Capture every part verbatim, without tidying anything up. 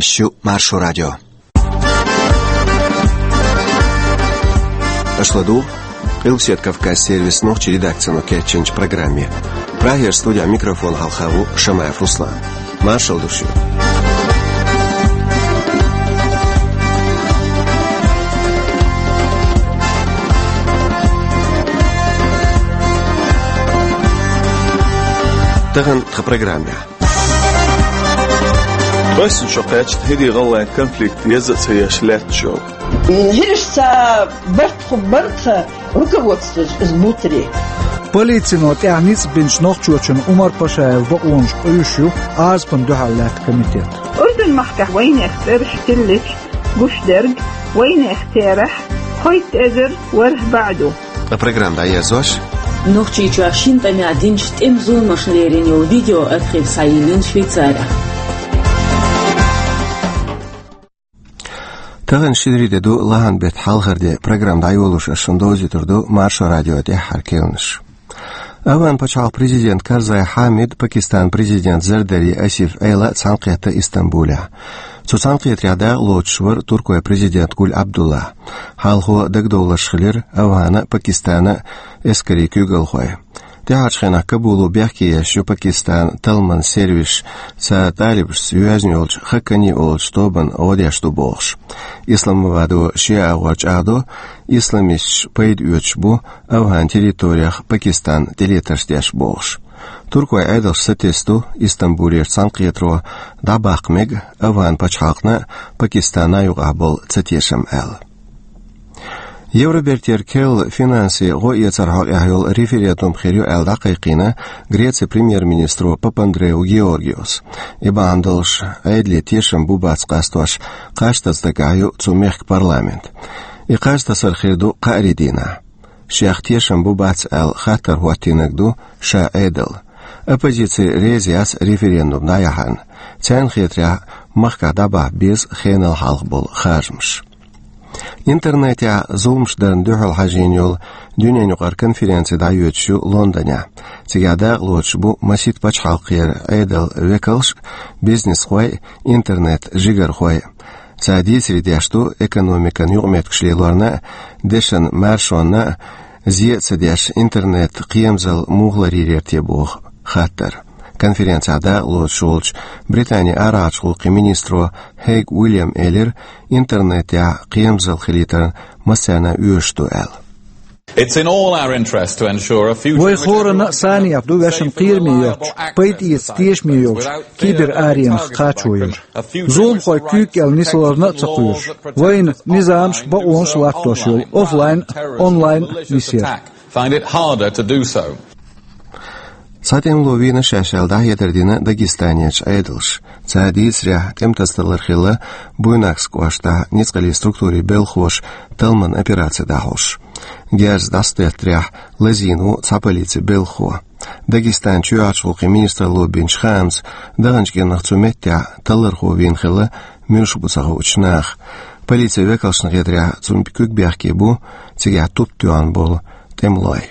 Эфирехь ю Маршо радио. Аша ладугӀу Къилбаседа Кавказан сервисан нохчийн редакцино кечйинчу программе. Прагера студехь микрофон хьалха ву Шамаев Руслан. Маршалла ду шуьга. Тахана тхан программехь. Оьссина шо кхаьчна ХӀирийн-ГӀалгӀайн конфликт еза а ца еш лаьтташ йолу. ХӀирашца барт хӀун бара тхан руководствос иза бутаре. Полицино тӀехь ницкъ бинчу нохчочун Умар Пашаевн бакъонаш къуьйсуш ю Ӏазапна дуьхьал лаьтта комитет. Урдун-махкахь вайнех цӀераш тиллича гуш дерг, вайнех терахь кхойтта эзар ворхӀ бӀе ду. Ткъа программа дӀаерзош. Нохчийчохь шина тӀамехь динчу тӀеман зуламашна лерина йолу видео архив схьайиллина Швейцарехь. Тахана шинарин де ду, лахьан беттан хьалхара де. Программа дӀайолош ас шуна довзуьйтур ду Маршо радион тӀаьххьара кхаьънаш. АвгӀан пачхьалкхан президент Карзай Хьамид, Пакистанан президент Зардари Асиф Ӏела а цхьаьнакхетта Истамбулехь. Цу цхьаьнакхетарехь дакъалоцуш вара Туркойн президент Гуль Абдулла. Хьалхо дагадовларш хилира АвгӀанан а, Пакистанан а эскарийн куьйгалхой. ТӀаьхьарчу хенахь Кабуло бехке еш ю Пакистанан талламан сервисаш, цара талибашца йоьзна йолчу Хаккани олучу тобанна гӀо деш ду бохуш. Исламабадо шен агӀор чӀагӀдо, исламисташ пайда оьцуш бу АвгӀан территорех Пакистан тӀелетарш деш бохуш. Туркойн Ӏедалш сатесна ду Истамбулера цхьаьнакхетаро дӀабаккха мега АвгӀан пачхьалкхна а, Пакистанна а юкъахь болу цатешам аьлла. Евробертера керла финансийн гӀо эцарна хьокъехь йолу референдум хир ю аьлла дӀакхайкхийна Грецин премьер-министро Папандреу Георгиос. И бахьана долуш Ӏедале тешам бу-бац къастош кхаж таса дагахь ю цу мехкан парламент. И кхаж тасар хир ду кхаарин дийнахь. Шех тешам бу-бац аьлла хаттар хӀоттийнарг ду ша Ӏедал. Оппозици реза яц референдум дӀаяхьарна. Царна хетарехь, махкахь дӀабахьа беза хенал хьалха болу харжамаш. Интернетехь зуламаш дарна дуьхьал хьажийна йолу дуьненаюкъара конференци дӀайоьдуш ю Лондонехь. Цигахь дакъалоцуш бу масийтта пачхьалкхера Ӏедалан векалш а, бизнесхой а, интернетан жигархой а. Цара дийцаре деш ду экономикан юкъаметтигаш лелорна а, дешан маршонна а зе а ца деш, интернет кхерамзалла муха ларйийр те боху хаттар. Конференцехь дакъалоцуш волчу Британин арахьарчу гӀуллакхийн министро Хейг Уильяма элира, интернетехь кхерамзалла хилийтарна массарна а оьшуш ду аьлла. It's in all our interest to ensure a future... Вайн хӀоранна а санехь ду вешан кхераме йоцуш, пайда эца тешаме йолчу кибераренах кхачо яр. Зуламхой куьйга кӀел нисларна а ца кхоьруш, вайна низамаш а, бакъонаш а латтош йолу офлайн а, онлайн а нисъяр. Find it harder to do so. Цхьа тӀемало вийна шаьш аьлла дӀахьедар дина Дагестанерчу Ӏедалша. Цара дийцарехь, тӀематасадалар хилла Буйнакск кӀоштахь ницкъаллин структурийн белхахоша талламан операци дӀахьош. Герз дӀасадеттарехь лазийна ву цхьа полицин белхахо. Дагестанан чоьхьарчу гӀуллакхийн министралло бинчу хаамца, даханчу кӀирнах цу меттехь таллархо вийна хилла муьлш бу ца хуучу наха. Полицин векалшна хетарехь, цунна куьг бехке бу цигахь туп тоьхна болу тӀемалой.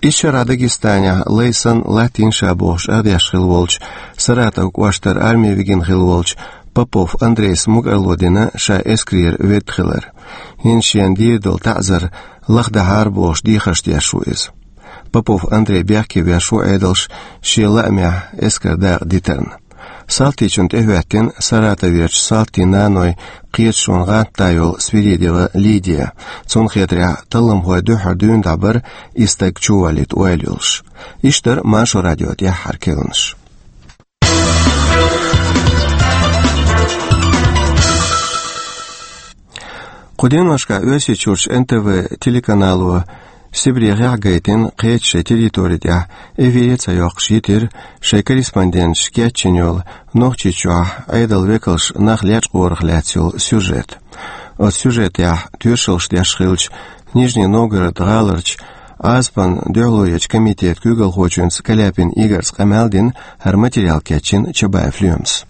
Исс шарахь Дагестанехь лай санна латтийна ша бохуш арадеш хилла волчу, Саратов кӀоштара арми вигина хилла волчу Попов Андрейс мукӀарло дина ша эскарера ведда хилар. ХӀинца шена дийр долу таӀзар лахдахьара бохуш дехарш деш ву иза. Попов Андрей бехке веш ву Ӏедалша шен лаамехь эскаран дакъа дитарна. Салтичунна тӀехӀоьттина Саратоверчу салтийн наной кхеташонан гӀант да йолу Свиридова Лидия. Цунна хетарехь, талламхой дуьххьара дуьйна дӀабара и стаг чувалийта ойла йолуш. Иштта дара Маршо радион тӀаьххьара кхаьънаш. Кху деношкахь Оьрсийчуьрчу Н Т В телеканало Сибрехехь а гайтина, кхечу шайн территори тӀехь эфире ца йоккхуш йитира шайн корреспонденташа кечйина йолу Нохчийчохь Ӏедалан векалш нах лечкъорах лаьцна йолу сюжет. Оцу сюжетехь тоьшаллаш деш хиллачу Нижний Новгород гӀаларчу Ӏазапна дуьхьалонечу комитетан куьйгалхочуьнца Каляпин Игорьца къамел дина, хӀара материал кечйина Чабаев Лоьмас.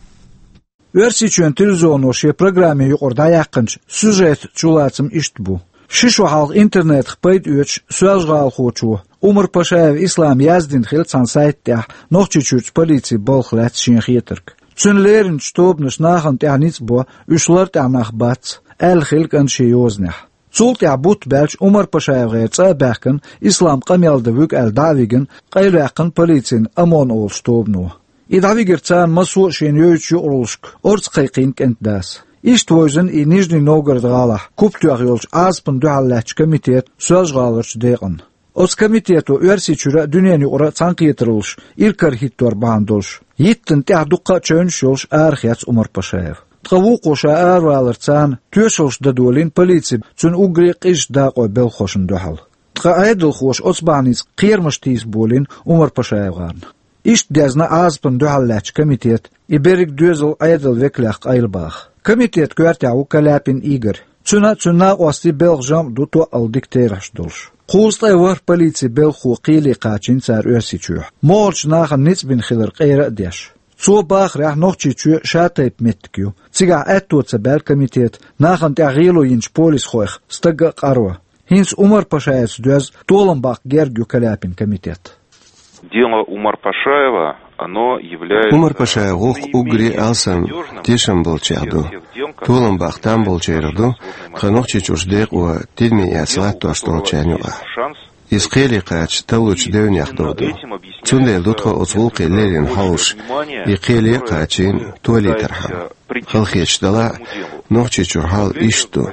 Оьрсийчоьнан телевизионо шен программин юкъара дӀаяьккхинчу сюжетан чулацам иштта бу. Ши шо хьалха интернетах пайда оьцуш соьлжа-гӀалахочо Умар Пашаев Ислама яздина хилла цхьана сайта тӀехь Нохчийчуьрчу полицин балха лаьцна шен хетарг. Цуьнан леринчу тобанаш нахана тӀехь ницкъ бо, уьш лартӀехь нах бац, аьлла хилла кӀанта шен йозанехь. Цул тӀаьхьа бутт баьлча Умар-Пашаев гӀеран цӀа а баьхкина, Ислам къамел дан вуьгу аьлла дӀа а вигина, къайлаваьккхина полицина ОМОН олучу тобано. И дӀавигира царна массо а шена йойтучу юкъараллашка орца кхайкхийна кӀентан дас. Иштта вевзина и Нижний Новгород гӀалахь куп тоьхна йолчу Ӏазапна дуьхьал лаьттачу комитетан Соьлжа-ГӀаларчу декъана. Оцу комитето Оьрсийчуьра а, дуьненан юкъара а цхьаьнакхетараллаш иракарахӀиттор бахьана долуш, йиттина тӀехь дуккха а чевнаш йолуш арахецна Умар-Пашаев. Ткъа вукхо ша араваларца царна тоьшаллаш дан долийна полици цуьнан уггаре а къизачу дакъойн белхахошна дуьхьал. Ткъа Ӏедалхоша оцу бахьаница кхерамаш тийса болийна Умар-Пашаевгара. Иштта дезна Ӏазапна дуьхьал лаьттачу комитетан и берриг доьзал Ӏедалан векалех къайлабаха. Комитетан коьртехь ву Каляпин Игорь. Цуьнан а, цуьнан накъостийн а белхан жамӀ ду тоъал дика терахьаш долуш. Кхузткъе ворхӀ полицин белхахо кхеле кхачийна цара Оьрсийчоьнахь, могӀарчу нахана ницкъ бина хилар къера а деш. Цо бахарехь, Нохчийчоь ша-тайпа меттиг ю. Цигахь аьтто ца баьлла комитета нахана тӀехь гӀело йинчу полисхойх стаг а къарван. ХӀинца Умар-Пашаевца доьзна толам баккха герга ю Каляпин комитет. Дело Умар-Пашаева, оно является Умар-Пашаев гӀуллакх уггаре а алсам тешам болчех ду, толам баккха там болчерах ду, тхан Нохчийчуьрчу декъо тидаме эца латтош долчарна юкъахь. Иза кхеле кхача таллучу девнех дов ду. Цундела ду тхо оцу гӀуллакхе леррина хьовсуш, и кхеле а кхачийна, толийтархьама. Халахеташ делахь а, Нохчийчуьра хьал иштта ду.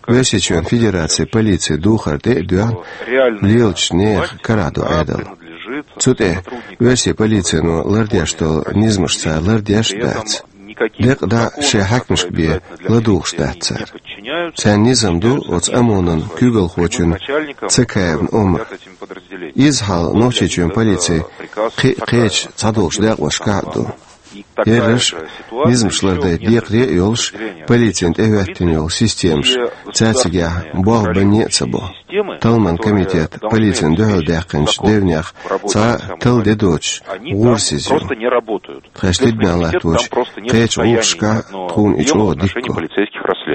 Оьрсийчоьнан Федерацин полицин духар тӀе а доьгӀна, лелачу нехан карахь ду Ӏедал. Цу тӀе оьрсийн полицино лардеш долу низамаш цара лардеш а дац. Декъа дӀа шайн хьаькамашка бен ладугӀуш дац цара. Царна низам ду оцу ОМОН-ан куьйгалхочун Цакаевн омра. Изза хьал Нохчийчоьнан полицин кхин а кхечу цхьадолчу декъошкахь а ду. Ерриш а, низамаш лардайта декхаре а йолуш, полицина тӀехӀоьттина йолу системаш цаьрцигехь болх банне а ца бо. Талламан комитет полицина дуьхьал даьккхинчу девнех цхьа а талла де доцуш, гӀурасиза ю. Тхаьш тидаме латточу кхечу гӀуллакхашкахь тхуна и чӀогӀа дика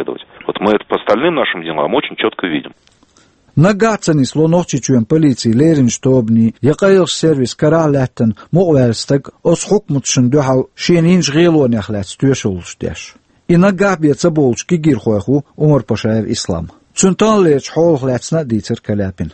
ду. Вот мы это по остальным нашим делам очень чётко видим. Наггахь а ца нисло Нохчийчоьнан полицин леринчу тобанийн я къайлахчу сервисан карахь а лаьттина мукъаваьлла стаг оцу хьукматашна дуьхьал шена йинчу гӀелонех лаьцна тоьшаллаш деш. И наггахь а бен ца бовлучу кегийрхойх ву Умар-Пашаев Ислам. Цуьнан тахналерчу хьолах лаьцна а дийцира Каляпина.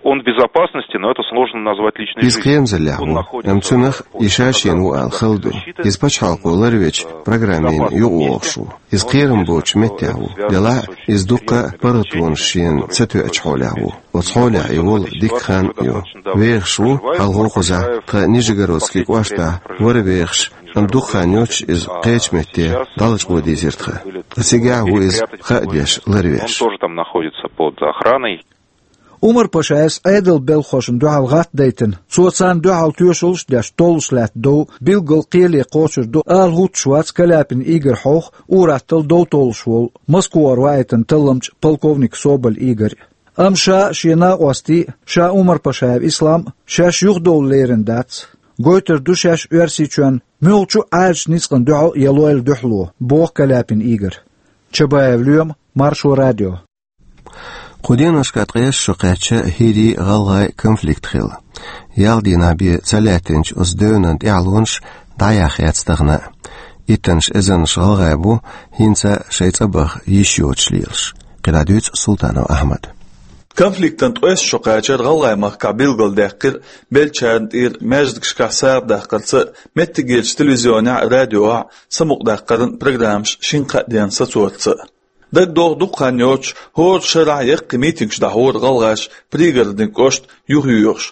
Он в безопасности, но это сложно назвать личной жизнью. Иза кхерамзаллехь ву, амма цунах и ша шена ву ала хала ду. Иза пачхьалкхо ларвечу программина юкъавогӀуш ву. Иза кхерам боцучу меттехь ву, делахь а иза дуккха а паргӀатонаш шена ца тоьачу хьолехь ву. Оцу хьолехь и волу дикка хан а ю. ВехӀаш ву, хьалха кхузахь тхан Нижегородски кӀоштахь вара вехаш, амма дукха хан йоццуш иза кхечу метте дӀалачкъо дийзира тхан. Ткъа цигахь а ву иза, хаа деш, ларвеш. Он тоже там находится под охраной. Умар-Пашаевс Ӏедалан белхахошна дуьхьал гӀаттдайтина, цо царна дуьхьал тоьшаллаш а деш, толлуш лаьтта дов билггал кхеле кхочур ду ала хӀуттуш вац Каляпин Игорь хьовха, ур-атталла дов толлуш волу Москвара ваийтина талламча полковник Соболь Игорь. Амма ша а, шен накъостий а, ша Умар-Пашаев Ислам а шаьш юхадовла лерина дац. Гойтур ду шаьш Оьрсийчоьнна муьлххачу а Ӏаьржачу ницкъана дуьхьал я лойла дуьхьало, боху Каляпин Игорь. Чабаев Лоьма, Маршо радио. Кху деношкахь ткъеша шо кхаьчна хӀирийн-гӀалгӀайн конфликт хилла. Ялх дийнахь бен ца лаьттинчу оцу девнан тӀаьхьалонаш дӀаяхьа яц тахана а. Иттаннаш эзарнаш гӀалгӀай бу хӀинца а шайн цӀа баха йиш йоцуш лелаш. КхидӀа дуьйцу Султанов Ахьмада. Конфликтан ткъеста шо кхачар гӀалгӀай махкахь билгалдаьккхира, беллачарна тӀера маьждигашкахь сагӀа даккхарца а, меттигерчу телевизионехь а, радиохь а самукъадаккхаран программаш шина-кхаа денна сацорца а. ДагадогӀу, дукха хан йоццуш хӀора шарахь яккхий митингаш дӀахьора гӀалгӀаша Пригородни кӀошт юхайоьхуш.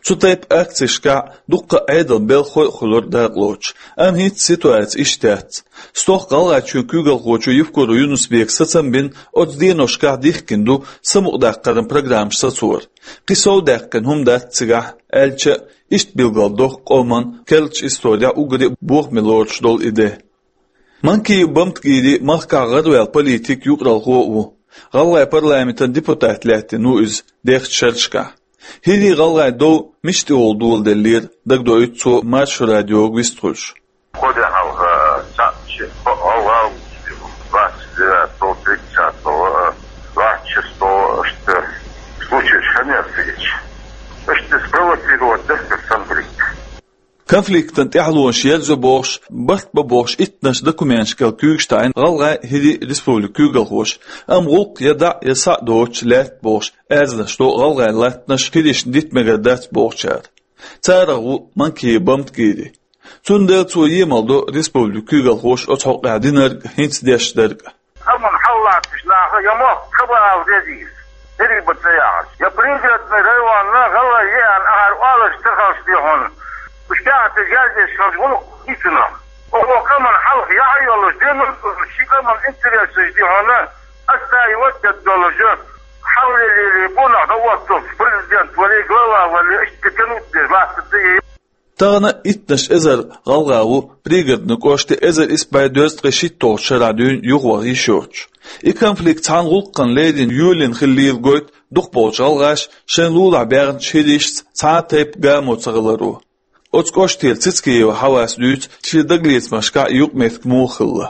Цу тайпа акцешкахь дуккха а Ӏедалан белхахой а хуьлура дакъалоцуш, амма хӀинца ситуаци иштта яц. Стохка ГӀалгӀайчоьнан куьйгалхочо Евкуров Юнус-Бека сацам бина оцу деношкахь дихкина ду самукъадаккхаран программаш сацор. Кхин сов даьккхина хӀума дац цигахь, аьлча а, иштта билгалдоху къоман керлачу исторехь уггаре а бохаме лоруш долу и де. Манкиев Бамтгири махкахь гӀараваьлла политик, юкъаралхо а ву. ГӀалгӀайн парламентан депутат лаьттина ву иза дехачу шерашкахь. ХӀирийн-гӀалгӀайн дов мича тӀехула доладеллера, дагадоуьйту цо Маршо радиога вистхуьлуш. Кхо де хьалха цхьаъ ши-кхоъ гӀалгӀа ву, двадцать девятого, тридцатого, двадцать шестого, иштта случай хӀинца а хилча, иштта спровоцировать дерг конфликт. Конфликтан тӀаьхьалонаш ерзайо бохуш, барт бо бохуш иттанаш документашкал куьйгаш таӀийна гӀалгӀай, хӀирий республикан куьйгалхоша, амма гӀуллакх я дӀа, я схьа доцуш лаьтта бохуш аьрзнаш до гӀалгӀайн латтанаш хӀирашна дита мегар дац бохучара. Царах ву Манкиев Бамтгири. Цундела цо емал до республикан куьйгалхоша оцу хьокъехь динарг а, хӀинца деш дерг а. Амма хьаллатташ наха я мохк ца баал дезийла, дерриг бан ца яхьаш. Я Пригородный районна гӀалгӀай еана ахьар олуш ца хилча дехьа, уьш тӀаьхьа тӀе герзеш хилча гӀуллакх дийцина. Оха къаман хьалха яхь а йолуш, динан а, ши къаман интересаш дехьа, ас ца йоттаддолуш, хьаллелийли бунах дан оццул президент валий, глава валий, иштта тянуть деш лаьттар ца е. Тахана иттанаш эзар гӀалгӀа ву Пригородни кӀоште эзар исс бӀе дезткъе шийтталгӀачу шарахь дуьйна юхаваха йиш йоцуш. И конфликт цхьана гӀуллакхана лерина йолийна хиллийла гойту дукхахболчу гӀалгӀаша шайн лулахь баьхначу хӀирашца цхьа а тайпа гамо ца хиларо. Оцу кӀоштера Цицкиева Хьавас дуьйцу шен дагалецамашкахь юкъаметтиг муха хилла.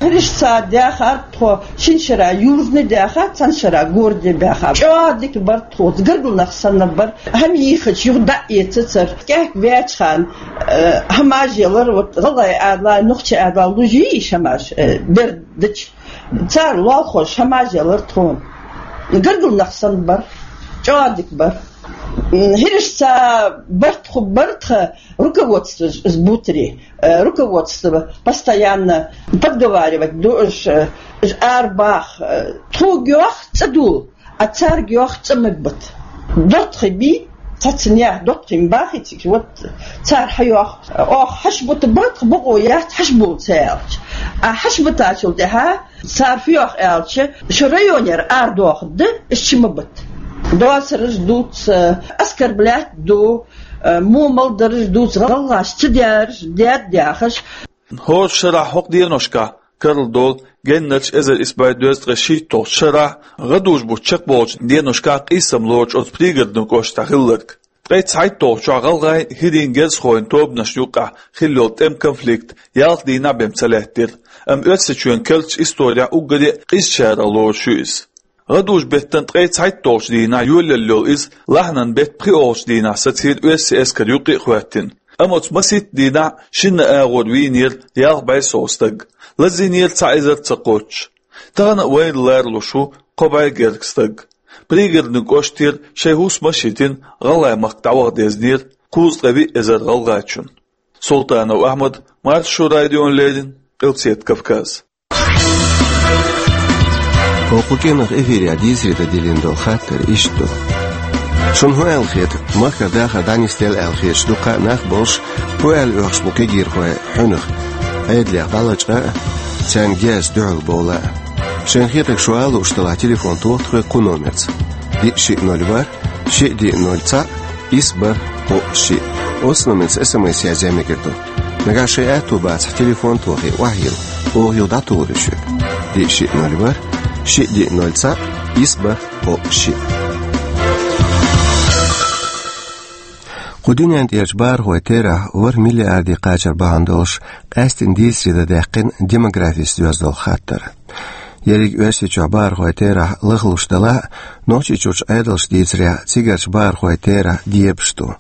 ХӀирашца даьхар тхо шина шарахь Южный даьхар, цхьана шарахь Городный баьхар. ЧӀогӀа дика бар тхоца, гаргалнах санна бар. ХӀама йийхача юха дӀа а эцацара. КӀаьхьа ваьчхьана, э, хӀамаш ялар, вот, гӀалгӀай адалахь, нохчий адалахь луш йий иша хӀамаш, э, бер дича. Цара лолхош хӀамаш ялар тхуна. Гаргалнах санна бар. ЧӀогӀа дика бар. М, хӀирашца барт хӀу бар тхан руководство ж-, ж-, бутаре. Э, руководство постоянно подговаривать ду уж, э, уж арабаха, э, тхуга йоху цӀа ду, а цаьрга йоху цӀа ма бата. ДоттагӀий бий, цхьацца нехан доттагӀий ма бахий цига, вот цара хьайоху. Оха хьаш бута бара тхан, бакъо яц хьаш була ца аьлча. А хьаш бутачул тӀаьхьа цара хӀу йоху аьлча, шун районера арадохург ду, уьш чу ма бата. Доцурш дуц, э, оскорблять ду, э, муха мел дарж дуц, гӀалгӀаш ца дераш, дед дехаш. ХӀора шарахь хӀокху деношкахь карладолу геннарш эзар исс бӀе дезткъе шийтталгӀачу шарахь, гӀадужу бутт чекхболчу деношкахь къийсам лоруш оцу Пригородни кӀоштахь хилларг. Ткъе цхьайтталгӀачохь гӀалгӀайн, хӀирийн, герзахойн тобанашна юккъехь хилла йолу тӀеман конфликт ялх дийнахь бен ца лаьттира, амма Оьрсийчоьнан керлачу исторехь уггаре а къизачарах лоруш ю иза. ГӀадужу-беттан ткъе цхьайтталгӀачу дийнахь йолаелла йолу иза лахьанан беттан пхоьалгӀачу дийнахь сацийра оьрсийн эскар юккъе а хӀоьттина. Амма оцу масийтта дийнахь шинна агӀор вийнера ялх бӀе сов стаг, лазийнера цхьа эзар ца кхоччуш. Тахана а вайна ларалуш ву кхо бӀе гергга стаг. Пригородни кӀоштера шайн хӀусамаш а йитина, гӀалгӀай махка дӀаваха дезнера кхузткъе виъ эзар гӀалгӀачунна. Султанов Ахьмад, Маршо радиона леррина, Къилбаседа Кавказ. Оха кху кӀиранах эфирехь дийцаре дан диллина долу хаттар иштта ду. Шуна хӀун аьлла хета, махкара дахар дӀанисделла аьлла хеташ дуккха а нах болуш, хӀун аьлла оьхуш бу кегийрхой хьуьнах, Ӏедалех дӀалачкъа а, царна герзаца дуьхьал бовла а? Шайна хетарг шу ала лууш делахь, телефон тоха тхоьга кху номерца: диъ шиъ ноль ворхӀ, шиъ диъ ноль цхьаъ, исс бархӀ кхоъ шиъ. Оцу номерца эс эм эс язъян мегар ду. Нагахь шайн аьтто бацахь, телефон тохий, охьайилла, оха юха дӀатухур ю шуьга. Диъ шиъ ноль ворхӀ, шиъ диъ ноль цхьаъ, исс бархӀ кхоъ шиъ. Кху дуьнен тӀерачу бахархойн терахь ворхӀ миллиарде кхачар бахьана долуш, къаьсттина дийцаре дан даьккхина демографица доьзна долу хаттар. Ерриг Оьрсийчохь бахархойн терахь лахлуш делахь а, Нохчийчуьрчу Ӏедалша дийцарехь, цигарчу бахархойн терахь дебаш ду.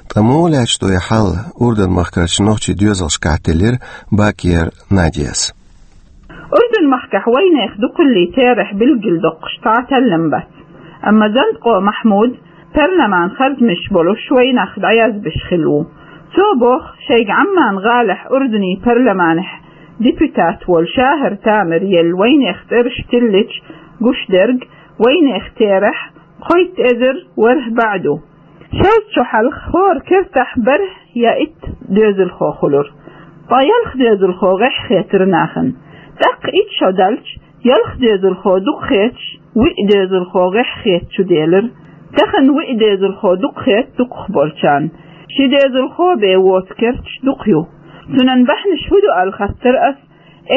Ткъа муха лаьтташ ду и хьал? Урдун-махкарчу нохчийн доьзалшкахь теллира Бакиева Надяс. Урдун-махкахь вайнехан дукхаллин терахь билгалдоккхуш цхьа а таллам бац. Амма Зандкъо Махьмуд, парламан харжамаш болуш, вайнах дӀаязбеш хилла ву. Цо боху, шайга Ӏамман гӀалахь Урдунан парламанехь депутат волу ШахӀар Тамир елла вайнехан цӀераш тиллича, гуш дерг вайнехан терахь кхойтта эзар ворхӀ бӀе ду. Шозза чохь хьалха хӀора кертахь бархӀ я итт доьзалхо хуьлура. Ткъа ялх доьзалхо гӀеххьахетара нахана. ТӀаккха итт шо даьлча, ялх доьзалхо дукха хеташ, виъ доьзалхо гӀеххьахета чу делира. Тахана виъ доьзалхо дукха хета дукхахболчарна. Ши доьзалхо бен воцу керташ дукха ю. Цунан бахьанаш хӀун ду аьлла хаттар ас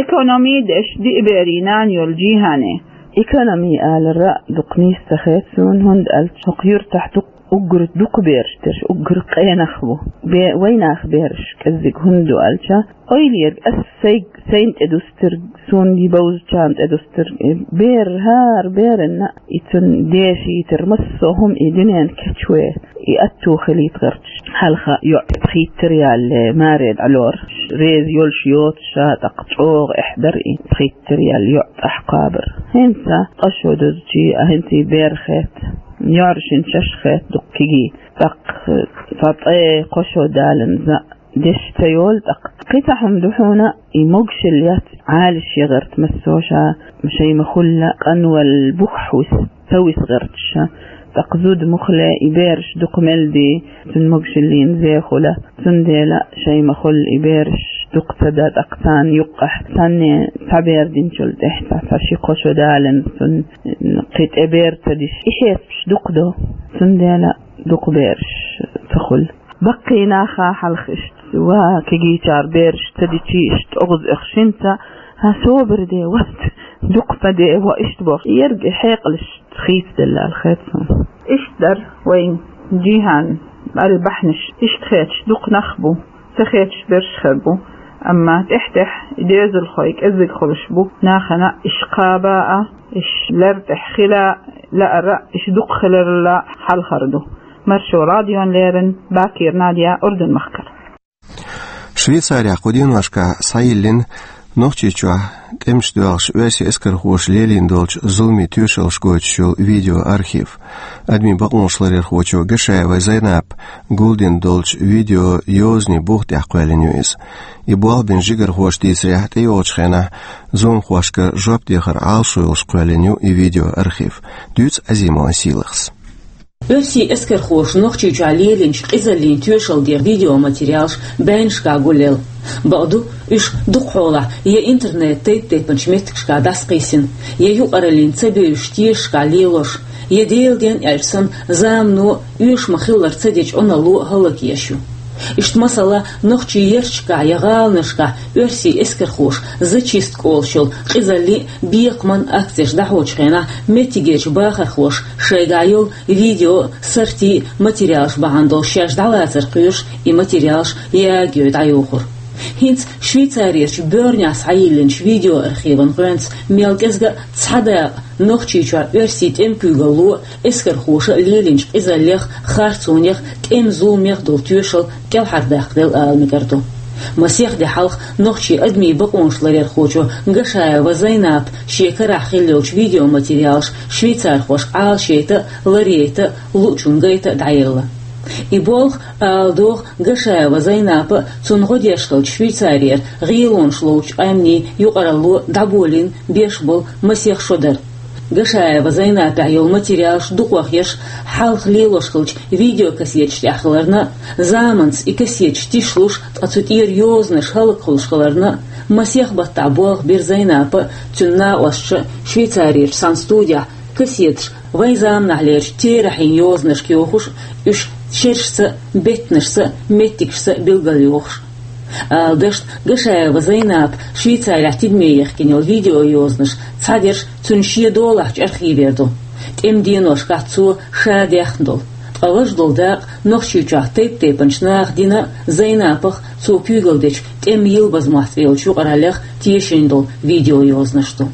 экономи деш диъ берийн нана йолу Жихане. Экономи алара а дукха нийса ца хета суна, хӀунда аьлча хӀокху юьртахь дукха Уггар дукха бераш дерш, уггар къе нах бу. Бе-, вай наьха бераш кӀеззиг хӀунда ду аьлча, ойла ерг ас сайг-, сайна тӀедустарг, суна и бовзачарна тӀедустарг, э, бер, хӀара беранна, и цун дешийтар массо а хӀума и дуьнен кечве, и аьтту хилийта гӀерташ. Хьалха йоӀ пхийттар ялле, маре дӀалора. Реза йолаш йоцуша, тӀаккха чӀогӀа эхь дар и пхийттар яьлла йоӀ тӀаккха кхабар. ХӀинца къа шо дузчи, а хӀинца и бер хет, йоӀаршин шаьш хет дуккхиги. ТӀаккха цхьа ткъе кхо шо даланза деш ца йолу, тӀаккха кхин цхьа хӀума ду хьуна, и могушалла яц Ӏалаш ян гӀерта массо а ша, шайн ма-хуьллу къанвалла бух хьовса, ца виса гӀерташ ша. ТӀаккха зуда муххале и бераш дукха мел ди, цуьнан могушаллина зе хуьлу. Цундела шайн ма-хуьллу и бераш дукха ца дан, тӀаккха царна юккъехь цхьанне цхьа бер динчул тӀехь цхьа, цхьа ши-кхо шо даланза цунна кхин тӀе бер ца деш, и хьесапаш дукха ду. Цундела дукха бераш ца хуьлу. Баккхий наха хьалха иштта, ва кегийчара бераш ца дичи иштта оьгӀаз оьхуш хӀинца, хьан собар де вац, дукха ма де, ва иштта бохуш. Ерг и хьекъалаш хийцаделла аьлла хета суна. Иштта дара вайн жихӀан аьлла бахьанаш. Иштта хеташ дукха нах бу, ца хеташ берш хир бу. Амма тӀехь-тӀехь и доьзалхой кӀеззиг хуьлуш бу. Нахана иш кхаба а, иш лер тӀехь хила а лаара, иш дукха хиларал а хьалхара ду. Маршо радиона леррина Бакира Надя, Урдун-махкара. Швейцарехь кху деношкахь схьайиллина Нохчийчохь тӀемаш доьлхуш оьрсийн эскархоша лелийна долчу зуламийн тоьшаллаш гойтуш йолу видеоархив. Адамийн бакъонаш ларъярхочо Гашаева Зайнапа гулдина долчу видео йозанийн бух тӀехь кхоьллина ю иза. И болх бина жигархоша дийцарехь, тӀейогӀучу хенахь зуламхошкара жоп дехар Ӏалашо йолуш кхоьллина ю и видеоархив. Дуьйцу Азимова Сийлахьас. Оьрсийн эскархоша Нохчийчохь лелийначу къизаллин тоьшалла дехар видеоматериалаш байнашкахь гулъелла. Бакъду, уьш дукхахьолахь я интернет тайп-тайпанчу меттигашкахь дӀасакхийсина, я юкъараллин ца бевзачу тешашкахь лелош, я Делан денна аьлча санна замано оьшуш ма-хиллара ца дечу Ӏуналло а хӀаллакъеш ю. Иштта, масала, нохчийн ярташкахь я гӀаланашкахь оьрсийн эскархоша зачистка олуш йолу къизаллин а, бекхаман а акцеш дӀахьочу хенахь меттигерчу бахархоша шайгахь йолу видео а, сартий а материалаш бахьана долуш шаьш дӀалацар кхоьруш, и материалаш ягайой дӀайохура. ХӀинца Швейцарерчу боьрнехь схьайиллинчу видеоархиван гӀоьнца мел кӀезга а цхьа дакъа Нохчийчохь оьрсийн тӀеман куьйгалло а, эскархоша а лелийначу къизаллех а, харцонех а, тӀеман зуламех а долу тоьшалла кӀелхьардаккхаделла ала мегар ду. Масех де хьалха нохчийн адамийн бакъонаш ларъярхочо Гашаева Зайнапа шен карахь хилла йолчу видеоматериалаш швейцархошка Ӏалашйайта а, ларъяйта а, луучунна гайта а дӀаелла. И болх, ала догӀу, Гашаева Зайнапа а, цунна гӀо деш хиллачу Швейцарера гӀелонаш ловчу къаьмнийн юкъаралло а дӀаболийна беш болу масех шо дара. Гашаева Зайнапехь йолу материалаш дукхох ерш хьалха лелош хиллачу видеокассеташ тӀехь хиларна а, заманца и кассеташ тишлуш, ткъа цу тӀера йозанаш хӀаллакьхуьлуш хиларна а, масех баттахь болх бира Зайнапа а, цуьнан накъосташа а Швейцарерчу цхьана студехь кассеташ вайн заманахьлерчу терахьийн йозанашка йохуш а, уьш шерашца а, беттанашца а, меттигашца а билгалйохуш. Ала дашна, Гашаева Зайнапа Швейцарехь тидаме ехкина йолу видеойозанаш цхьадерш цуьнан шен долахьчу архивера ду. ТӀеман деношкахь цо ша даьхна долу. Ткъа важа долу дакъа Нохчийчохь тайп-тайпанчу наха дина а, Зайнапах а, цо куьйгалдечу тӀеман йилбазмохь цӀе йолчу юкъараллех а тешийна долу видеойозанаш ду.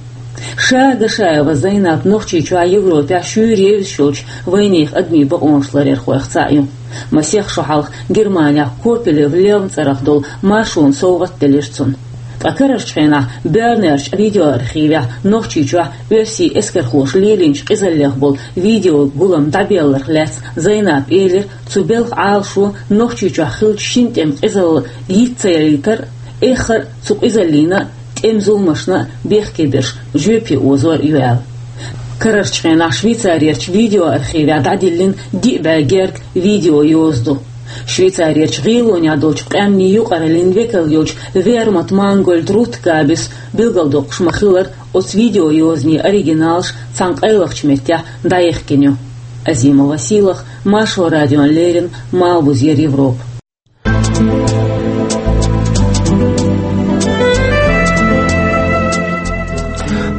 Ша Гашаева Зайнап Нохчийчохь, Европехь шуьйра евзаш йолчу вайнехан адамийн бакъонаш ларъярхойх цхьаъ ю. Масех шо хьалха Германехь Копелев Левн цӀарах долу маршонан совгӀат делира цунна. Ткъа карарчу хенахь боьрнерчу видеоархивехь Нохчийчохь оьрсийн эскархоша лелийначу къизаллех болу видеогулам дӀабелларх лаьцна Зайнапа элира, цу белхан Ӏалашо Нохчийчохь хиллачу шина тӀеман къизалла йиц ца ялийтар а, эххар а цу къизаллина а, тӀеман зуламашна а бехке берш жоьпе озор а ю аьлла. Карарчу хенахь Швейцарерчу видеоархивехь дӀадиллина диъ бӀе герга видеойоза ду. Швейцарерчу гӀелонехь долчу къаьмнийн юкъараллин векал йолчу Вермут Мангольд Рут Кабис билгалдоккхуш ма-хиллара, оцу видеойозанийн оригиналаш цхьана къайлахчу меттехь дӀаехкина ю. Азимова Сийлахь, Маршо радиона леррина, Малхбузера Европа.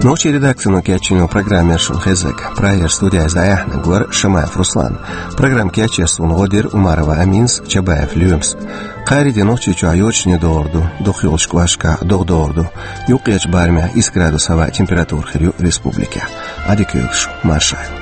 Нохчийн редакцино кечйина программа яра шуна хезнарг. Прагера студиязь дӀаяьхьнарг вара Шамаев Руслан. Программа кечъеш суна гӀо дира Умарова Аминас, Чабаев Лоьмас. Кхаьрийдийнахьа Нохчийчохь йочане догӀур ду, дукхах йолчу кӀошташкахь догӀа догӀур ду. Юккъерчу барамехь исс градус хӀаваан температура хир ю республикехь. Ӏадика йойла шун, марша Ӏойла.